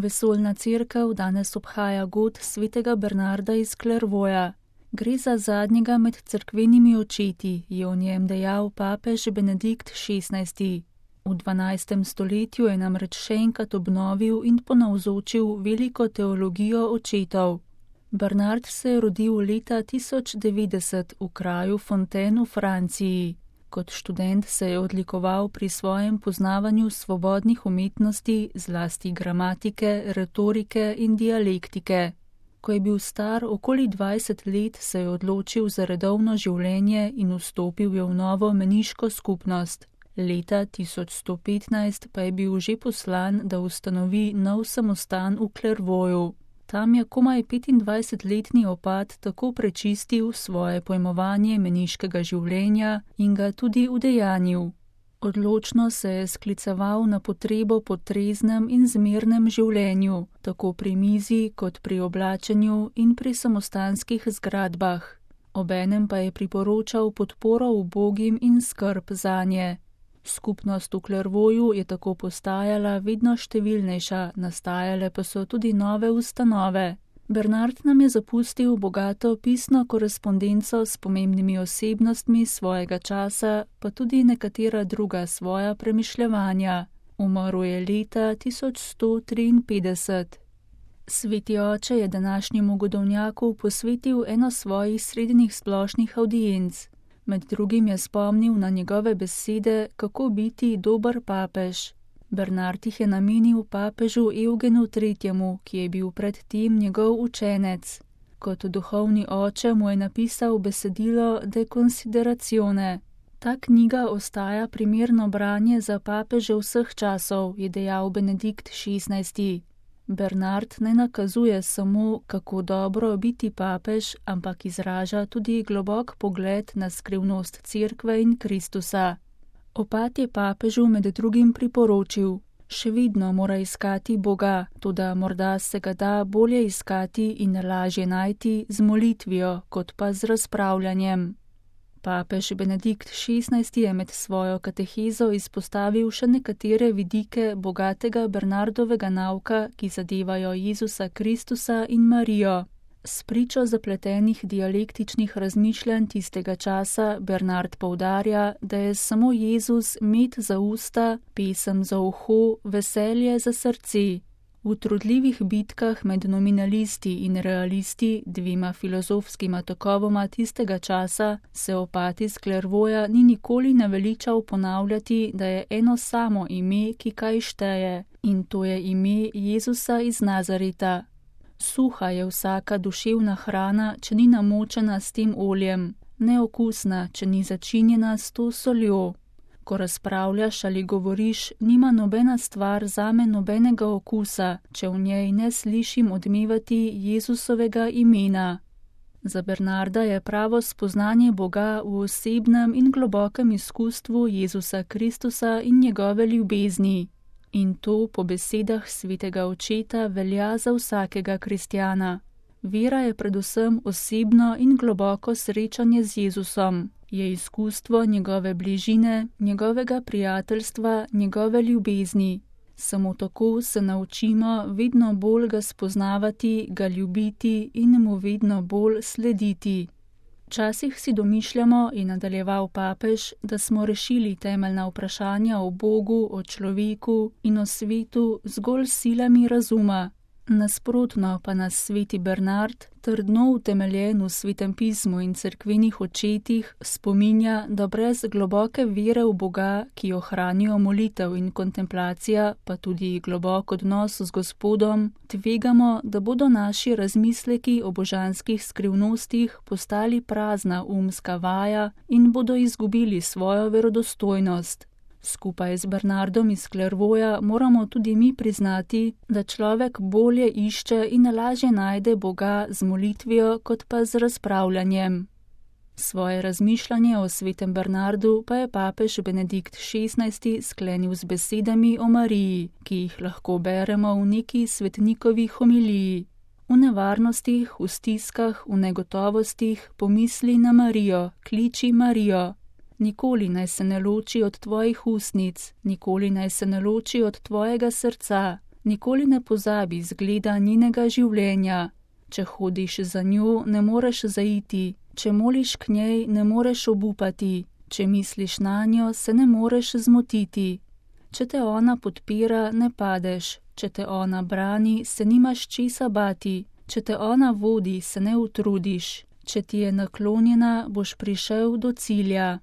Vesoljna cerkev danes obhaja god svetega Bernarda iz Clairvauxa. Gre za zadnjega med cerkvenimi očeti, je o njem dejal papež Benedikt XVI. V 12. stoletju je namreč še enkrat obnovil in ponavzočil veliko teologijo očetov. Bernard se je rodil leta 1090 v kraju Fontaine v Franciji. Kot študent se je odlikoval pri svojem poznavanju svobodnih umetnosti, zlasti gramatike, retorike in dialektike. Ko je bil star okoli 20 let, se je odločil za redovno življenje in vstopil je v novo meniško skupnost. Leta 1115 pa je bil že poslan, da ustanovi nov samostan v Clairvauxu. Tam je komaj 25-letni opat tako prečistil svoje pojmovanje meniškega življenja in ga tudi udejanjil. Odločno se je skliceval na potrebo po treznem in zmernem življenju, tako pri mizi kot pri oblačenju in pri samostanskih zgradbah. Obenem pa je priporočal podporo ubogim in skrb zanje. Skupnost v Clairvauxu je tako postajala vedno številnejša, nastajale pa so tudi nove ustanove. Bernard nam je zapustil bogato pisno korespondenco s pomembnimi osebnostmi svojega časa, pa tudi nekatera druga svoja premišljevanja. Umrl je leta 1153. Sveti oče je današnjemu godovnjaku posvetil eno svojih srednjih splošnih avdienc. Med drugim je spomnil na njegove besede, kako biti dober papež. Bernard jih je namenil papežu Eugenu III., ki je bil predtem njegov učenec. Kot duhovni oče mu je napisal besedilo De Consideratione. Ta knjiga ostaja primerno branje za papeže vseh časov, je dejal Benedikt XVI. Bernard ne nakazuje samo, kako dobro biti papež, ampak izraža tudi globok pogled na skrivnost cerkve in Kristusa. Opat je papežu med drugim priporočil: še vedno mora iskati Boga, toda morda se ga da bolje iskati in lažje najti z molitvijo, kot pa z razpravljanjem. Papež Benedikt XVI je med svojo katehezo izpostavil še nekatere vidike bogatega Bernardovega nauka, ki zadevajo Jezusa Kristusa in Marijo. S pričo zapletenih dialektičnih razmišljanj tistega časa Bernard poudarja, da je samo Jezus med za usta, pesem za uho, veselje za srce. V trudljivih bitkah med nominalisti in realisti, dvema filozofskima tokovoma tistega časa, se opat iz Clairvauxa ni nikoli naveličal ponavljati, da je eno samo ime, ki kaj šteje, in to je ime Jezusa iz Nazareta. Suha je vsaka duševna hrana, če ni namočena s tem oljem, neokusna, če ni začinjena s to soljo. Ko razpravljaš ali govoriš, nima nobena stvar zame nobenega okusa, če v njej ne slišim odmevati Jezusovega imena. Za Bernarda je pravo spoznanje Boga v osebnem in globokem izkustvu Jezusa Kristusa in njegove ljubezni. In to po besedah svetega očeta velja za vsakega kristjana. Vera je predvsem osebno in globoko srečanje z Jezusom. Je izkustvo njegove bližine, njegovega prijateljstva, njegove ljubezni. Samo tako se naučimo vedno bolj ga spoznavati, ga ljubiti in mu vedno bolj slediti. Včasih si domišljamo, je nadaljeval papež, da smo rešili temeljna vprašanja o Bogu, o človeku in o svetu zgolj silami razuma. Nasprotno pa nas sveti Bernard, trdno utemeljen v svetem pismu in cerkvenih očetih, spominja, da brez globoke vere v Boga, ki jo hranijo molitev in kontemplacija, pa tudi globok odnos z Gospodom, tvegamo, da bodo naši razmisleki o božanskih skrivnostih postali prazna umska vaja in bodo izgubili svojo verodostojnost. Skupaj z Bernardom iz Clairvauxa moramo tudi mi priznati, da človek bolje išče in lažje najde Boga z molitvijo, kot pa z razpravljanjem. Svoje razmišljanje o svetem Bernardu pa je papež Benedikt XVI sklenil z besedami o Mariji, ki jih lahko beremo v neki svetnikovi homiliji. V nevarnostih, v stiskah, v negotovostih pomisli na Marijo, kliči Marijo. Nikoli naj se ne loči od tvojih ustnic, nikoli naj se ne loči od tvojega srca, Nikoli ne pozabi zgleda njenega življenja. Če hodiš za njo, ne moreš zaiti, če moliš k njej, ne moreš obupati, če misliš nanjo, se ne moreš zmotiti. Če te ona podpira, ne padeš, če te ona brani, se nimaš česa bati, če te ona vodi, se ne utrudiš, če ti je naklonjena, boš prišel do cilja.